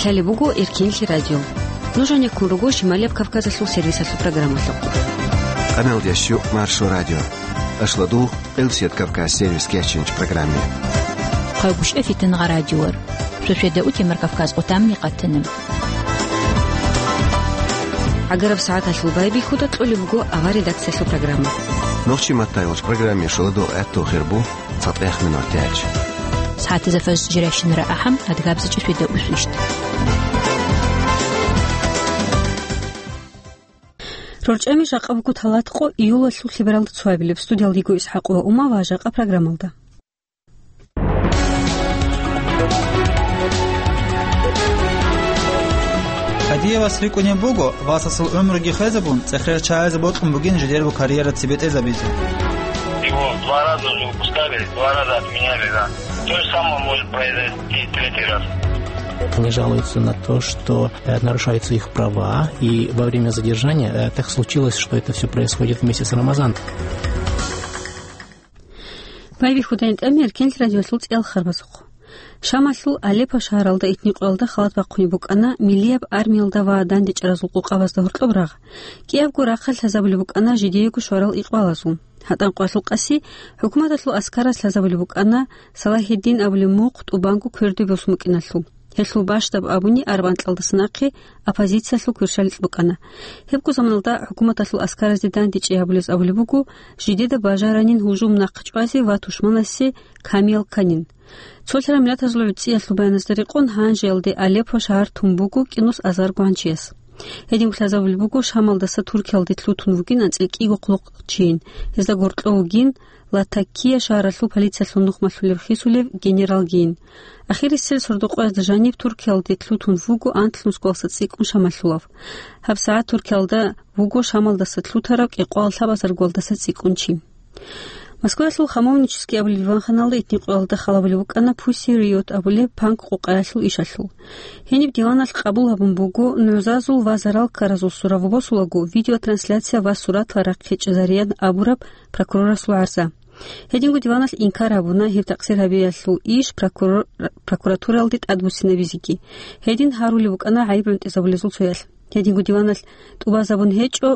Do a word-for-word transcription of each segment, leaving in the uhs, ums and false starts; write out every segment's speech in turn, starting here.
Лъалеб буго Эркенлъи радио. Нуж гьанеккун руго Шималияб Кавказалъул сервисалъул программалъухъ. Къаналдящу Маршо радио. Ашладу Элсият Кавказ сервис кечинч программе. Хъагушев Фитнагъа радиор. Суседа утемар Кавказ отамни къатанем. Агараб сагӀаталъул байбихьуда кьолеб буго авар редакциялъул программа. Нохчи маттайолч программе шуладул гӀатту хирбу. ЦатӀех минут тяч. СагӀатазда фажр жиращинара ахӀам, адгабзачӀи светда усвищт. РорчӀами жакъа буго талатӀкъо июлалъул лъебералда цоабилеб. Студиялда йиго ИсхӀакъова Ума ва жакъа программалда. Кадиевас рикӀкӀунеб буго, васасул гӀумруги хвезабун, цӀехер чагӀазе бокьун бугин жидерго карьера цебетӀезабизе. Его два раза уже выпускали, два раза отменяли, да. То же самое может произойти третий раз. Они жалуются на то, что, э, нарушаются их права, и во время задержания, э, так случилось, что это всё происходит вместе с Рамазаном. Байбихьуда гьанже тӀамир Эркенлъи радиолъул цӀеял харбазухъ. Шамалъул Алеппо шагьаралда итни къоялда халат бахъунеб букӀана миллияб армиялда ва дандечӀаразул къокъабазда гьоркьоб рагъ. КӀиябго рахъалъ лъазабулеб букӀана жидеего щварал икъбалазул. ГьатӀан къоялъул къаси хӀукуматалъул аскараз лъазабулеб букӀана Салахьиддин абулеб мухъ тӀубанго кверде босун букӀиналъул. Гьелъул бащдаб абуни арбан кьалдаса нахъе оппозициялъул кверщаликь букӀана. Гьебго заманалда хӀукуматалъул аскаразде дандечӀей гьабулез абулеб буго, жидеда бажаранин гьужум нахъ чӀвазе ва тушманасе камиял кканин. Цолъараб миллатазул гӀуцӀиялъул баяназда рекъон, гьанжеялде Алеппо шагьар тун буго кӀинус азарго гьанчияс. Гьединго лъазабулеб буго Шамалдаса Туркиялде лъутун вугин анцӀила кӀиго хъулухъчийин. Гьезда гьоркьов вугин Латакия шагьаралъул полициялъул нухмалъулеб хисулев генералгийин. Ахирисел сордо-къоязда жаниб Туркиялде лъутун вуго анлънусго васас цӀикӀкӀун Шамалъулав. ГьабсагӀат Туркиялда вуго Шамалдаса лъутарав кӀикъоялда лъабазарго васас цӀикӀкӀун чи. Москваялъул Хамовнический абулеб диванханалда итни къоялда халабулеб букӀана Pussy Riot абулеб панк-къокъаялъул ишалъул. Гьениб диваналъ къабул гьабун буго нугӀзазул ва зарал ккаразул сурав босулаго видеотрансляция ва суратал рахъ гьечӀезариян абураб прокурорасул гӀарза. Гьединго диваналъ инкар гьабуна гьеб такъсир гьабиялъул иш прокурор-, прокуратуралде тӀадбуссинабизеги. Гьедин гьарулеб букӀана гӀайиб гӀунтӀизабулезул цоялъ. Гьединго диваналъ тӀубазабун гьечӀо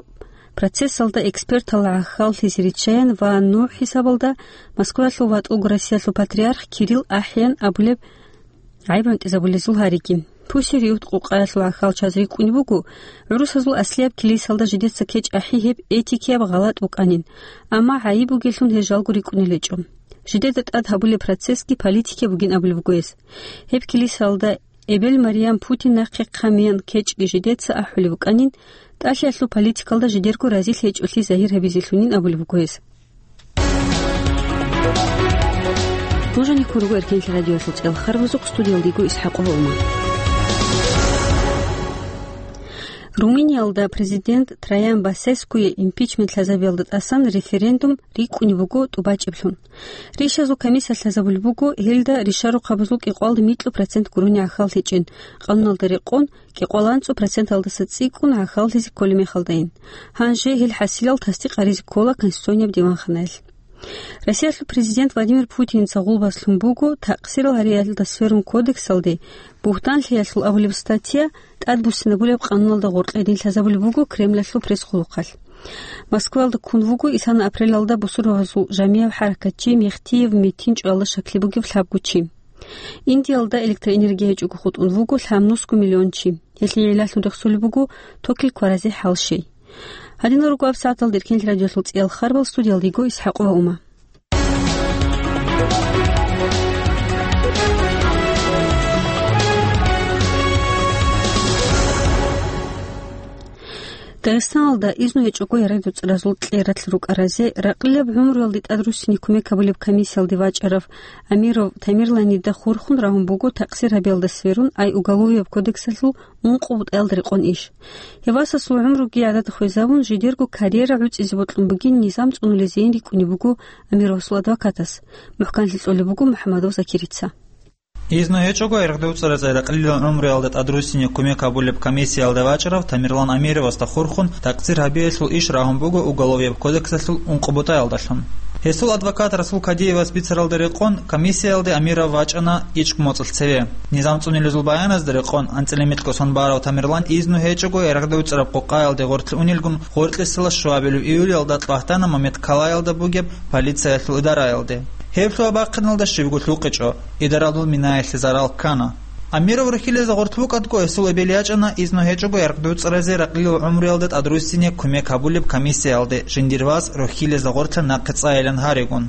процессалда экспертал гӀахьаллъизе риччаян ва нугӀ хӀисабалда Москваялъул ватӀулго Россиялъул патриарх Кирилл ахӀеян абулеб гӀайиб гӀунтӀизабулезул гьариги. Пусириут къукъаялъул гӀахьалчаз рикӀкӀунеб буго, гӀурусазул аслияб килисалда жидеца кечӀ ахӀи гьеб этикияб гъалатӀ букӀанин, амма гӀайиб бугелъун гьез жалго рикӀкӀунел гьечӀо. Жидеда тӀад гьабулеб процессги политикияб бугин абулеб буго гьес. Гьеб килисалда эбел Мариям Путин нахъе хъамиян кечӀги жидеца ахӀулеб букӀанин, тӀалъиялъул политикалда жидерго разилъи гьечӀолъи загьир гьабизелъунин абулеб буго гьес. Нуж гьанеккун руго Эркенлъи радиоялъул цӀеял харбазухъ, студиялда йиго ИсхӀакъова Ума. Румыниялда президент Траян Басескуе импичмент лъазабиялда тӀасан референдум рикӀкӀунеб буго тӀубачӀеблъун. Ришазул комиссия лъазабулеб буго, гьелда ришарухъабазул кӀикъоялда микьу процент гурони гӀахьал гьечӀин, къануналда рекъон, кӀикъоялда анцӀу проценталдаса цӀикӀкӀун гӀахьаллъизе кколеб мехалдайин. Гьанже гьел хӀасилал тасдикъ гьаризе ккола Конституцияб диванханаялъ. Россиялъул президент Владимир Путинца гъулбас лъун буго такъсирал гьариялда сверун кодексалде, бугьтанлъиялъул абулеб статья тӀадбуссинабулеб къануналда гъоркье гьедин лъазабулеб буго Кремлалъул пресс-хъулухъалъ. Москваялда ккун вуго исана апрелалда бусурбабазул жамияб хӀаракатчи Мехтиев Метин чӀвалда щаклъи бугеб лъабго чи. Индиялда электроэнергия гьечӀого хутӀун вуго лъабнусго миллион чи. Гьелъие гӀиллалъун рехсолеб буго токил кваразе хӀал щей. Гьадинал руго гьаб сагӀаталда Эркенлъи радиоялъул цӀеял харбал, студиялда йиго ИсхӀакъова Ума. Дагъистаналда изну гьечӀого ярагъдуцӀаразул кьератлъ рукӀаразе ракълилаб гӀумруялде тӀадруссине кумек гьабулеб комиссиялде вачӀарав Амиров Тамерланида хурхун рагьун буго такъсир гьабиялда сверун ай уголовияб кодексалъул ункъо бутӀаялда рекъон иш. Гьев васасул гӀумруги гӀадада хвезабун, жидерго карьера гӀуцӀизе бокьун бугин низам цӀунулезейин рикӀкӀунеб буго Амировасул адвокатас, мухӀканлъи кьолеб буго МухӀамадов Закирица. Изну гьечӀого ярагъдуцӀаразе ракълилал гӀумруялда тӀадруссине кумек гьабулеб комиссиялда вачӀарав Тамерлан Амировасда хурхун такъсир гьабиялъул иш рагьун буго уголовияб кодексалъул ункъо бутӀаялдалъун. Гьесул адвокат Расул Кадиевас бицаралда рекъон комиссиялде Амиров вачӀана ичӀго моцӀалъ цеве. Низам цӀунилезул баяназда рекъон, анцӀила микьго сон барав Тамерлан изну гьечӀого ярагъда уцӀараб къокъаялде гъорлъ унилгун, гъоркьесила щуабилеб июлялда Кьвагьтана Мамедкалаялда бугеб полициялъул идараялде. Гьеб лъугьа-бахъиналда щибго лъукъичӀо, идараялъул минаялъе зарал ккана. Амиров рохьилезда гъорлъ вукӀадго, гьесул эбел ячӀана изну гьечӀого ярагъда уцӀаразе ракълил гӀумруялда тӀадруссине кумек гьабулеб комиссиялде жиндир вас рохьилезда гъорлъа нахъе цӀайилан гьаригун.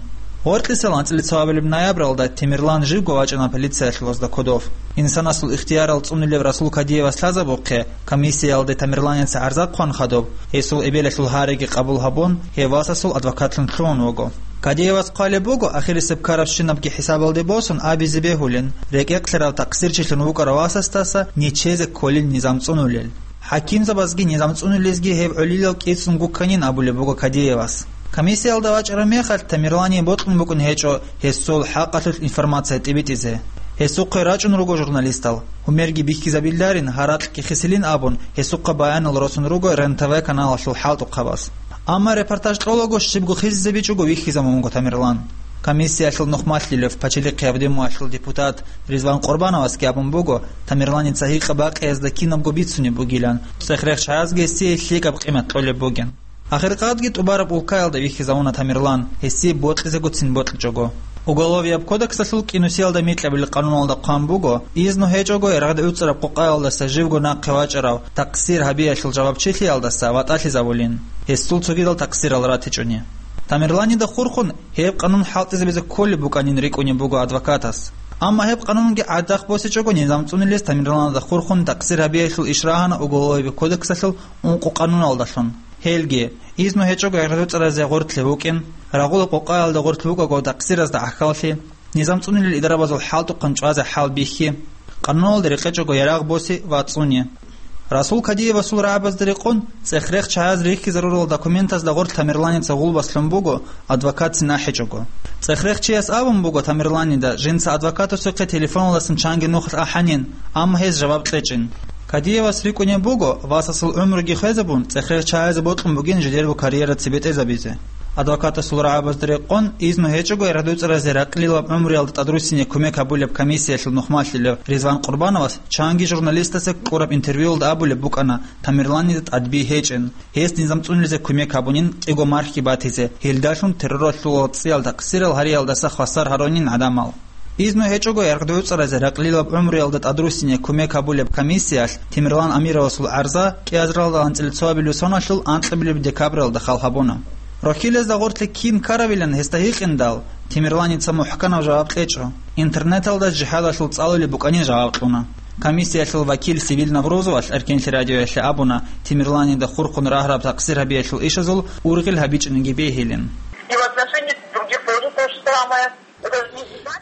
Гъоркьисел анцӀила цоабилеб ноябралда Тамерлан живго вачӀана полициялъулазда кодов. Инсанасул ихтиярал цӀунулев Расул Кадиевас лъазабухъе, комиссиялде Тамерланица гӀарза хъван хадуб, гьесул эбелалъул гьариги къабул гьабун, гьев васасул адвокатлъун лъугьун вуго. Кадиевас хъвалеб буго, ахирисеб ккарабщинабги хӀисабалде босун абизе бегьулин, рекӀекълъарав такъсирчилъун вукӀарав васасдаса нечезе кколин низам цӀунулел. ХӀакимзабазги низам цӀунулезги гьеб гӀолилал кӀицӀун гукканин абулеб буго Кадиевас. Комиссиялда вачӀараб мехалъ Тамерлание бокьун букӀун гьечӀо гьесул хӀакъалъулъ информация тӀибитӀизе. Гьесухъе рачӀун руго журналистал, гьумерги бихьизабиларин, гьаракьги хисилин абун, гьесухъа баянал росун руго РЕН-ТВ каналалъул хӀалтӀухъабаз. Амма репортаж кьолаго щибго хисизабичӀого вихьизабун вуго Тамерлан. Комиссиялъул нухмалъилев Пачалихъ Явдемуялъул депутат Ризван Къурбановасги абун буго, Тамерланица гьикъа-бакъиязда кинабго бицунеб бугилан, цӀех-рехчазги гьесие лъикӀаб къимат кьолеб бугин. Ахиркъадги тӀубараб улкаялда вихьизавуна Тамерлан, гьесие бокьизегоцин бокьичӀого. Уголовияб кодексалъул кӀинусиялда микьабилеб къануналда хъван буго, изну гьечӀого ярагъда уцӀараб къокъаялдаса живго нахъе вачӀарав такъсир гьабиялъул жавабчилъиялдаса ватӀалъизавулин, гьесул цогидал такъсирал ратичӀони. Тамерланида хурхун гьеб къанун хӀалтӀизабизе кколеб букӀанин рикӀкӀунеб буго адвокатас. Амма гьеб къанунги гӀадахъ босичӀого низам цӀунилес Тамерланида хурхун такъсир гьабиялъул иш рагьана Уголовияб кодексалъул ункъо къануналдалъун. Гьелги, изну гьечӀого ярагъда уцӀаразе гъорлъе вукӀин, рагъула къокъаялда гъорлъ вукӀаго такъсиразда гӀахьаллъи, низам цӀунилел идарабазул хӀалтӀухъан чӀвазе хӀал бихьи, къануналда рекъечӀого ярагъ боси ва цӀуни. Расул Кадиевасул рагӀабазда рекъон, цӀех-рехчаяз рихьизарурал документазда гъорлъ Тамерланица гъулбас лъун буго, адвокатцин ахӀичӀого. ЦӀех-рехчияс абун буго Тамерланида жинца адвокатасухъе телефоналдасан чанги нухалъ ахӀанин, амма гьез жаваб кьечӀин. Кадиевас рикӀкӀунеб буго, васасул гӀумруги хвезабун, цӀех-рехчаязе бокьун бугин жидерго карьера цебетӀезабизе. Адвокатасул рагӀабазда рекъон, изну гьечӀого ярагъда уцӀаразе ракълилаб гӀумруялда тӀадруссине кумек гьабулеб комиссиялъул нухмалъилев Ризван Къурбановас чанги журналистасе кьураб интервьюялда абулеб букӀана Тамерланида тӀадби гьечӀин, гьес низам цӀунилизе кумек гьабунин кӀиго мархги батизе, гьелдалъун терроралъул цӀиял такъсирал гьариялдаса хвасар гьарунин гӀадамал. Изну гьечӀого ярагъда уцӀаразе ракълилаб гӀумруялда тӀадруссине кумек гьабулеб комиссиялъ Тамерлан Амировасул гӀарза кӀиазаралда анцӀила цоабилеб соналъул анкьабилеб декабралда хал гьабуна. Рохьилезда гъорлъе кин ккаравилан гьесда гьикъиндал, Тамерланица мухӀканаб жаваб кьечӀо. Интернеталда жихӀадалъул цӀалулеб букӀанин жаваб кьуна. Комиссиялъул вакил Севил Наврузовалъ Эркенлъи радиоялъе абуна, Тамерланида хурхун рагьараб такъсир гьабиялъул ишазул ургъел гьабичӀониги бегьилин. И в отношении других тоже то же самое.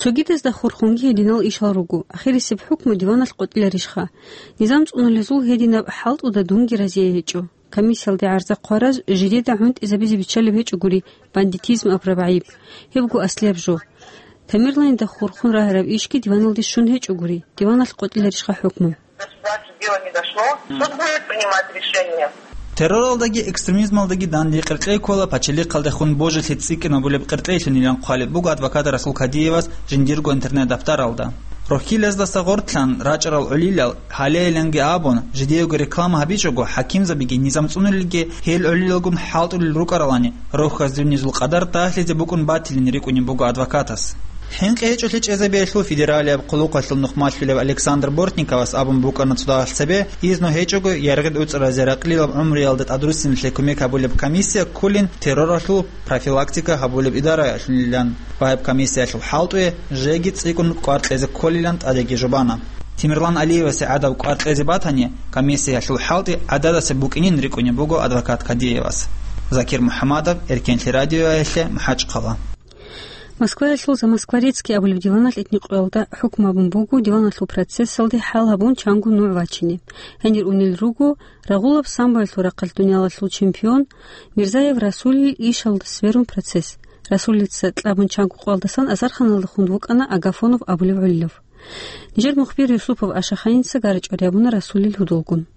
Цогидазда хурхунги гьединал ишал руго. Ахирисеб хӀукму диваналъ къотӀиларищха? Низам цӀунулезул гьединаб хӀалтӀуда дунги разие гьечӀо. Комиссиялде гӀарза хъвараз жидеда гӀунтӀизабизе биччалеб гьечӀогури бандитизм абураб гӀайиб. Гьебго аслияб жо. Тамерланида хурхун рагьараб ишги диваналде щун гьечӀогури, диваналъ къотӀиларищха хӀукму? До суда дело не дошло. Суд будет принимать решение. Терроралдаги экстремизмалдаги данде къеркьей ккола пачалихъалдехун божилъи цӀикӀкӀинабулеб къеркьейлъунилан хъвалеб буго адвокат Расул Кадиевас жиндирго интернет-даптаралда. Рохьилаздаса гъортлъан рачӀарал гӀолилал гьалейиланги абун, жидеего реклама гьабичӀого, хӀакимзабиги низам цӀунулелги гьел гӀолилалгун хӀалтӀулел рукӀаралани, рохьаз дунизул къадар дагьлъизе букӀун батилин рикӀкӀунеб буго адвокатас. ХӀинкъи гьечӀолъи чӀезабиялъул федералияб хъулухъалъул нухмалъулев Александр Бортниковас абун букӀана цодагьалъ цебе, изну гьечӀого ярагъид уцӀаразе ракълилаб гӀумруялда тӀадруссиналъе кумек гьабулеб комиссия кколин терроралъул профилактика гьабулеб идараялъунилан ва гьеб комиссиялъул хӀалтӀуе жеги цӀикӀкӀун кӀвар кьезе кколилан тӀадеги жубана. Тамерлан Алиевасе гӀадаб кӀвар кьезе батани, комиссиялъул хӀалтӀи гӀададасеб букӀинин рикӀкӀунеб буго адвокат Кадиевас. Закир МухӀамадов, Эркенлъи радиоялъе, МахӀачхъала. Москваялъул «За Москворецкий» абулеб диваналъ этникъоялда хӀукму гьабун буго диваналъул процессалде хӀал гьабун чанго нугӀ вачине. Гьенир унел руго рагъулаб самбоялъул рахъалъ дуниялалъул чемпион Мирзаев Расулил ишалда сверун процесс. Расулица кьабун чанго къоялдасан азарханалда хун вукӀана Агафонов абулев гӀолилав. Нижер мухбир Юсупов Ашаханица гарчӀвари гьабуна Расулил гьудулгун.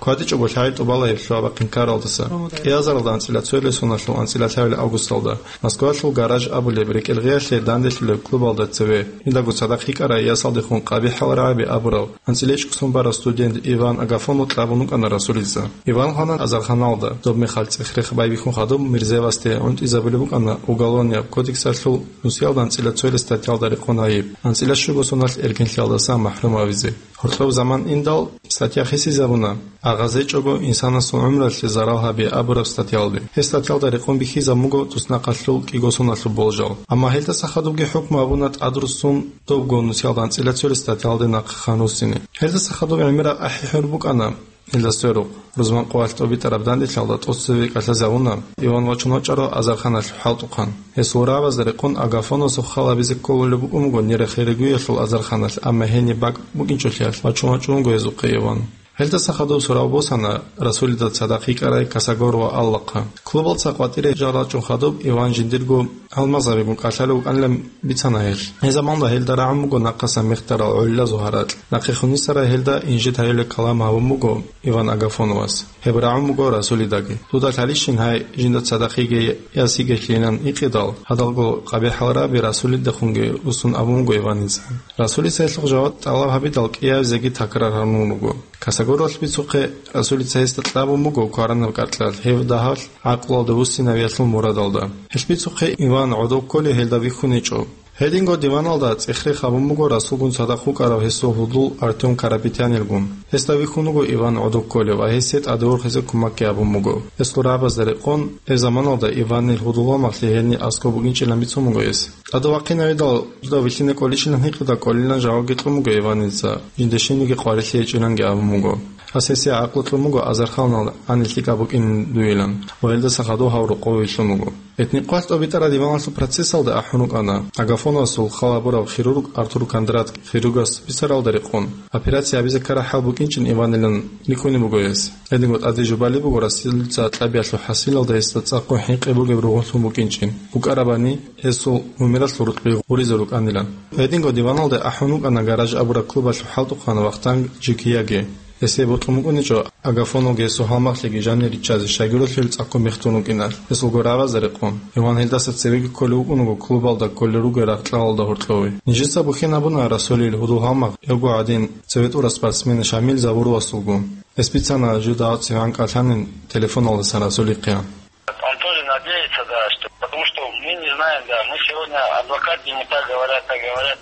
КватӀичӀого лъагӀел тӀубала гьеб лъугьа-бахъин ккаралдаса. КӀиазаралда анцӀила цоялъ соналъул анцӀила лъабилеб августалда Москвалъул «Гараж» абулеб рекӀел гъиялъе данделъулеб клубалда цеве, жиндаго цадахъ йикӀарай ясалдехун КъабихӀал РагӀаби абурав анцӀила ичӀго сон барав студент Иван Агафонов кьабун вукӀана Расулица. Иван хвана азарханалда, доб мехалъ цӀех-рех байбихьун хадуб Мирзаевасде гӀунтӀизабулеб букӀана Уголовнияб кодексалъул нусиялда анцӀила цоялъ статьялда рекъон гьайиб, анцӀила щуго соналъ эркенлъиялдасан махӀрум гьавизе. Гьоркьоб заман индал, статья хисизабуна, агъазечӀого инсанасул гӀумралъе зарал гьаби абураб статьялде. Гьеб статьялда рекъон бихьизабун буго туснахъалъул кӀиго соналъул болжал. Амма гьелдаса хадубги хӀукму гьабуна тӀадруссун добго нусиялда анцӀила цоялъ статьялде нахъе ханусине. Гьелдаса хадуб гӀемераб ахӀи-хӀур букӀана гьелда сверухъ. Рузман къоялъ тӀобитӀараб данделъиялда тӀоцеве кӀалъазабуна Иван вачун вачӀарав азарханалъ хӀалтӀухъан. Гьесул рагӀабазда рекъон Агафоновасухъ хал гьабизе кколулеб букӀун буго Нерехерегуялъул азарханалъ, амма гьениб бакӀ букӀинчӀолъиялъ вачун вачӀун вуго гьезухъе Иван. Гьелдаса хадуб сурал босана Расулида цадахъ йикӀарай Косогорова Аллахъа. Клубалца къватӀире жал рачӀун хадуб Иван жиндирго гьалмагъзабигун кӀалъалев вукӀанилан бицана гьелъ. Гьеб заманалда гьелда рагӀун буго нахъасан мехтарал гӀолилазул гьаракь. Нахъехун йисарай гьелда инжит гьаюлеб калам гьабун буго Иван Агафоновас. Гьеб рагӀун буго Расулидаги. Дуда лъалищин гьай жинда цадахъ йиге яс йигелъилан гьикъидал, гьадалго КъабихӀал РагӀаби Расулидехунги руссун абун буго Иваница. Расулица гьелъухъ жаваб тӀалаб гьабидал кӀиабизеги такрар гьарун руго. Косогоровалъ бицухъе Расулица гьесда кьабун буго кваранаб кӀаркьал гьеб дагьалъ гӀакълуялда вуссинавиялъул мурадалда. Гьелъ бицухъе Иван гӀодов кколей гьелда вихьун гьечӀо. Гьединго диваналда цӀех-рех гьабун буго Расулгун цадахъ вукӀарав гьесул гьудул Артём Карапетянилгун. Гьесда вихьун вуго Иван гӀодов кколев ва гьесие тӀадворхизе кумекги гьабун буго. Гьесул рагӀабазда рекъон, гьеб заманалда Иванил гьудул гьалмагълъи гьениб аскӀоб букӀинчӀилан бицун буго гьес. ТӀадав вахъинавидал, дуда вилълъине кӀолищилан гьикъидал кӀолилан жавабги кьун буго Иваница, жинда щибниги къварилъи гьечӀиланги абун буго. Гьас гьесие гӀакълу кьун буго азарханалда гьаниб лъикӀаб букӀин дуйилан ва гьелдаса хадуб гьав рокъове вилълъун вуго. Гьеб нихъвалъ тӀобитӀараб диваналъул процессалда ахӀун рукӀана Агафоновасул хал гьабурав хирург Артур Кондратов хирургас бицаралда рекъон, операция гьабизе ккараб хӀал букӀинчӀин Иванилан рикӀкӀунеб буго гьес. Гьединго тӀаде жубалеб буго Расулица кьабиялъул хӀасилалда гьесда цӀакъго хӀинкъи бугеб ругъунлъун букӀинчӀин, букӀарабани гьесул гьумералъул рукъби гъуризе рукӀанилан. Гьединго диваналда ахӀун вукӀана «Гараж» абураб клубалъул хӀалтӀухъан Вахтанг Джикияги. Гьесие бокьун букӀуничӀо Агафоновги гьесул гьалмагълъиги жанир риччазе, щайгурелъул цӀакъго мехтун рукӀиналъ, гьесулго рагӀабазда рекъон. Иван гьелдаса цевеги кколев вукӀун вуго клубалда кколел ругел рагъ-кьалалда гьоркьове. Нижеца бухьинабуна Расулил гьудул гьалмагъ, гьевго гӀадин, цеве тӀурав спортсмен Шамил Завуровасулгун. Гьес бицана жидеца гьанкӀ кӀалъанин телефоналдасан Расулихъе. Он тоже надеется, да, что, потому что мы не знаем, да, мы сегодня адвокат, ему так говорят, так говорят.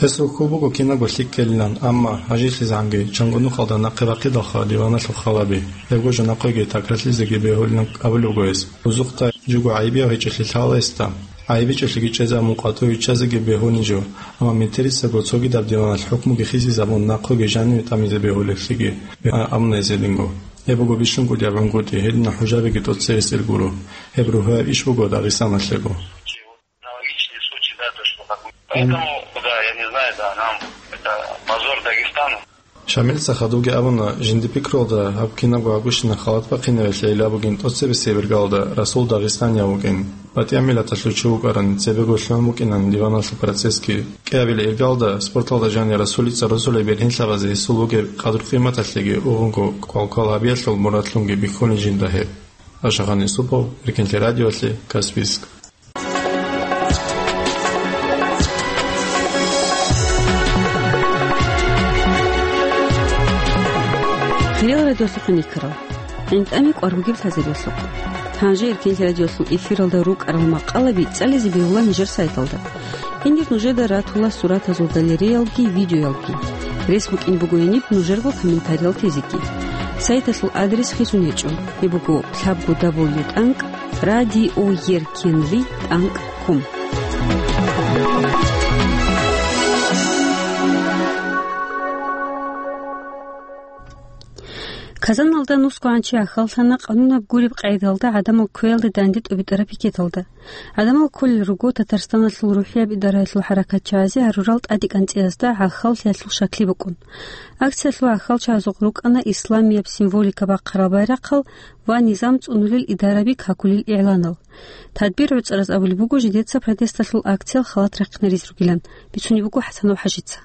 Гьес рухьул буго кинабго лъикӀ ккелилан, амма гьажилъизанги чанго нухалда нахъе бахъидалха диваналъул хал гьаби. Гьебго жо нахъеги такрарлъизеги бегьулилан абулеб буго гьес. Рузухъда жого гӀайибияв гьечӀолъи лъала гьесда. ГӀайибичӀолъиги чӀезабун къватӀиве виччазеги бегьунеб жо, амма метерисаго цогидаб диваналъ хӀукмуги хисизабун нахъеги жаниве тӀамизе бегьулеблъиги, а, абуна гьес гьединго. Гьеб буго бищун кӀудияб гӀунгутӀи, гьединаб хӀужабиги тӀоцебесел гуро. Гьеб ругьуяб иш буго Дагъистаналъего. Аналогичный случай, да, то, что как бы. Поэтому, да, я не знаю, да, нам это позор Дагестану. Шамилица хадубги абуна, жинда пикруялда гьаб кинабго гьабущинаб халат бахъинаве лъейила бугин тӀоцебесеб иргалда Расул дагъистанияв вукӀин. БатӀияб миллаталъул чи вукӀарани, цебего лъугӀун букӀинан диваналъул процессги. КӀиабилеб иргалда спорталда жанир Расулица росулел бергьенлъабазе гьесул бугеб къадру-къиматалъеги угӀунго квалквал гьабиялъул мурадлъунги бихьулин жинда гьеб. Ашагъан Юсупов, Эркенлъи радиолъи, Каспийск. Хириял радиолъухъ никарал. ГӀинтӀами кӀвар бугеб лъазабиялъухъ. Гьанже Эркенлъи радиолъул эфиралда рукӀарал макъалаби цӀализе бегьула нижер сайталда. Гьенир нужеда ратула суратазул галереялги видеоялги. Рес букӀин буго гьениб нужерго комментариял тезеги. Сайталъул адрес хисун гьечӀо. Гьеб буго лъабго дабл ю тӀанкӀ радио еркенлъи тӀанкӀ ком. Казаналда нусго гӀанчи ахьаллъана къанунаб гуреб къайдалда гӀадамал кквеялде данде тӀубитӀараб пикеталда. ГӀадамал кколел руго Татарстаналъул рухӀияб идараялъул хӀаракатчагӀазе гьарурал тӀадекӀанцӀиязда гӀахьаллъиялъул щакли букӀун. Акциялъул гӀахьалчагӀазухъ рукӀана исламияб символика бахъарал байрахъал ва низам цӀунулел идараби какулел игӀланал. Тадбир гӀуцӀараз абулеб буго жидеца протесталъул акциял халат рахъинаризе ругилан, бицунеб буго ХӀасанов ХӀажица.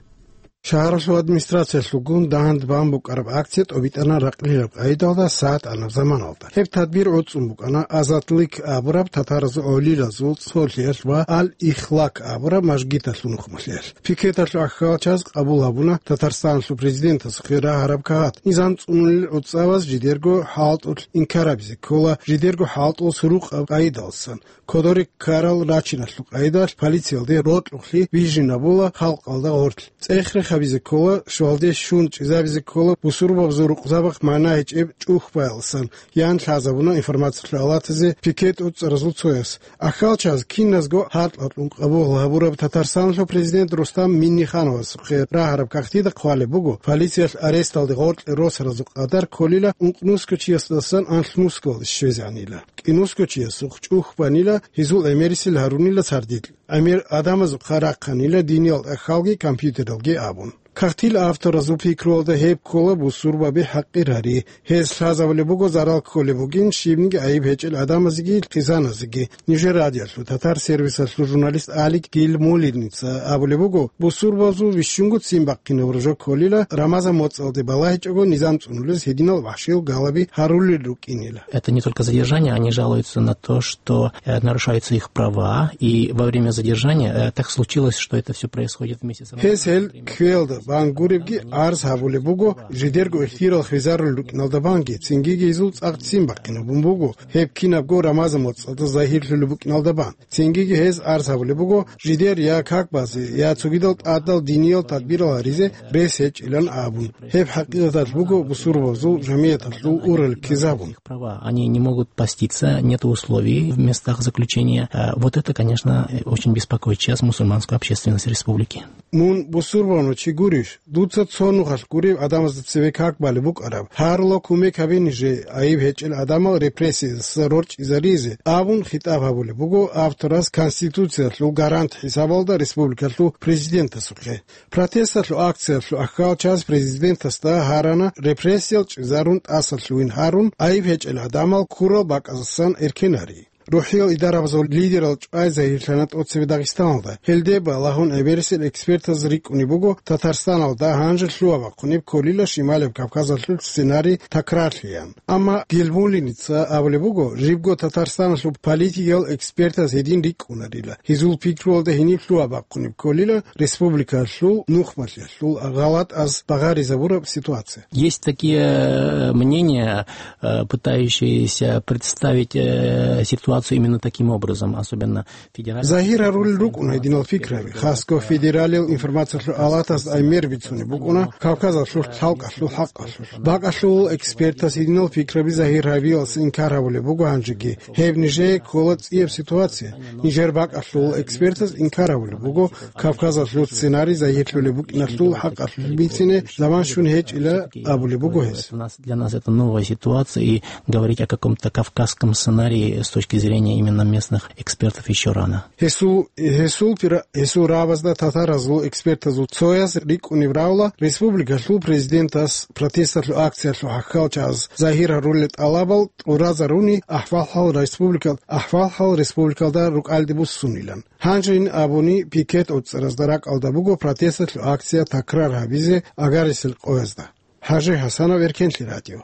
Шагьаралъул администрациялъулгун дагьан-дагьан букӀараб акция тӀобитӀана ракьлилаб къайдалда сагӀат анаб заманалда. Гьеб тадбир гӀуцӀун букӀана «Азатлик» абураб татаразул гӀолилазул цолъиялъ ва «Ал-Ихлак» абураб мажгиталъул нухмалъиялъ. Пикеталъул ахӀвалчаз къабул гьабуна Татарстаналъул президентасухъе рагьараб кагъат, низам цӀунулел гӀуцӀаваз жидерго хӀалтӀулъ инкарабизе ккола, жидерго хӀалтӀул сурукъаб къайдалсан. Кодоре ккарал рачиналъул къайдалъ полициялде рокьухълъи бижинабула халкъалда гъорлъ. ЦӀех-рех гьабизе ккола, щвалде щун чӀезабизе ккола, бусурбабазул рукъзабахъ магӀна гьечӀеб чӀухӀбаялсан, ян лъазабуна информациялъул алатазе пикет уцӀаразул цояс. Ахалчаз киназго гьаркьа-кьун къабул гьабураб Татарстаналъул президент Рустам Миннихановасухъе рагьараб кагътида хъвалеб буго, полициялъ аресталде гъоркье росаразул къадар кколила ункъ нусго чиясдасан анлъ нусгоялде щвезегӀанила. КӀинусго чиясухъ чӀухӀбанила, гьезул гӀемерисел гьарунила сардилъ. ГӀемер адамазухъа рахъанила диниял тӀахьалги компьютералги абун. Кагътил авторазул пикруялда гьеб ккола бусурбаби хӀакъир гьари. Гьез лъазабулеб буго зарал кколеб бугин щибниги гӀайиб гьечӀел адамазеги хъизаназеги. Нижер радиолъул татар сервисалъул журналист Алик Гилмулиница абулеб буго, бусурбабазул вищунго ццин бахъинаб рожо кколила, Рамазан моцӀалде балагьичӀого низам цӀунулез гьединал вахшил галаби гьарулел рукӀинила. Это не только задержание, они жалуются на то, что, э, нарушаются их права, и во время задержания, э, так случилось, что это всё происходит вместе с Рамазаном. Гьез гьел кквеялда бан гуребги арз гьабулеб буго, жидерго ихтияр хвезарулел рукӀиналда банги, цинги гьезул цӀакъ ццин бахъинабун буго, гьеб кинабго Рамазан моцӀалда загьирлъулеб букӀиналда бан. Цинги гьез арз гьабулеб буго, жидер я как базе, я цогидал тӀадал диниял тадбирал гьаризе рес гьечӀилан абун. Гьеб хӀакъикъаталъ буго бусурбабазул жамигӀаталъул урал ккезабун. Права, они не могут поститься, нет условий в местах заключения. А, вот это, конечно, очень беспокоит сейчас мусульманскую общественность республики. Мун бусурбабазул чи гурищ? Дуца цо нухалъ гуреб адамазда цеве как балеб букӀараб, гьарула кумек гьабе нижее, гӀайиб гьечӀел адамал репрессиялдаса рорчӀизаризе, абун хитӀаб гьабулеб буго авторас Конституциялъул гарант хӀисабалда республикалъул президентасухъе. Протесталъул акциялъул ахалчаз президентасда гьарана репрессиял чӀезарун тӀасалъугьин гьарун, гӀайиб гьечӀел адамал ккурал бакӀаздасан эркенарин. РухӀиял идарабазул лидерал чӀвай загьирлъана тӀоцебе Дагъистаналда. Гьелде балагьун гӀемерисел экспертаз рикӀкӀунеб буго Татарстаналда гьанже лъугьа-бахъунеб кколила Шималаб Кавказалъул сценарий такрарлъеян. Амма Гелмулиница абулеб буго, жибго Татарстаналъул политикиял экспертаз гьедин рикӀкӀунарила. Гьезул пикруялда гьениб лъугьа-бахъунеб кколила республикалъул нухмалъиялъул гъалатӀаз багъаризабураб ситуация. Есть такие, э, мнения, э, пытающиеся представить, э, ситуацию именно таким образом, особенно федеральный. Загьир гьарулел рукӀуна гьединал пикраби, хасго федералил информациялъул алатаз гӀемер бицунеб букӀуна Кавказалъул лъалкӀалъул хӀакъалъулъ. БакӀалъул экспертаз гьединал пикраби загьир гьабиялъ инкар гьабулеб буго гьанжеги. Гьеб нижее ккола цӀияб ситуация. Нижер бакӀалъул экспертаз инкар гьабулеб буго Кавказалъул сценарий загьирлъулеб букӀиналъул хӀакъалъулъ бицине заман щун гьечӀила абулеб буго гьес. Для нас это новая ситуация, и говорить о каком-то кавказском сценарии с точки зрения именно местных экспертов ещё рано. Гьесул, гьесул пира-, гьесул рагӀабазда татаразул экспертазул цояз рикӀкӀунеб равла, республикалъул президентас протесталъул акциялъул хӀакъалчаз загьир гьарулел тӀалабал тӀуразаруни ахӀвал-хӀал республикал-, ахӀвал-хӀал республикалда рукӀалде буссунилан. Гьанжейин абуни, пикет уцӀаразда ракӀалда буго протесталъул акция такрар гьабизе агарисел къоязда. ХӀажи ХӀасанов, Эркенлъи радио.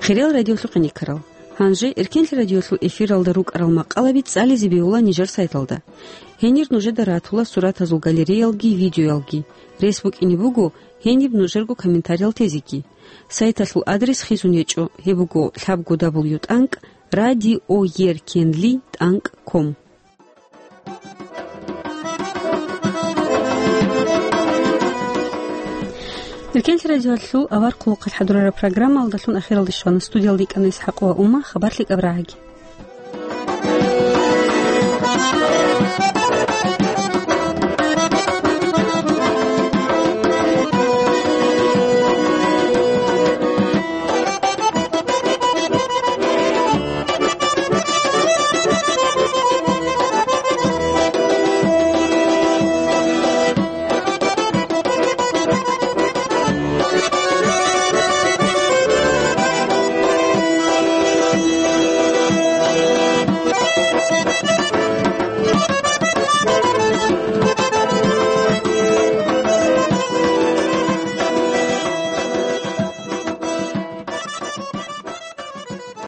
Хириял радиолъухъе никарал. Гьанже Эркенлъи радиолъул эфиралда рукӀарал макъалаби цӀализе бегьула нижер сайталда. Гьенир нужеда ратула суратазул галереялги видеоялги. Рес букӀине буго гьениб нужерго комментариял тезеги. Сайталъул адрес хизун гьечӀо, гьеб буго лъабго дабл ю тӀанкӀ радиоеркенли тӀанкӀ ком. Эркенлъи радиолъул авар хъулухъалъ хӀадурараб программаялдалъун ахиралде щвана. Студиялда йикӀана ИсхӀакъова Умма, хабар лъикӀаб рагӀаги.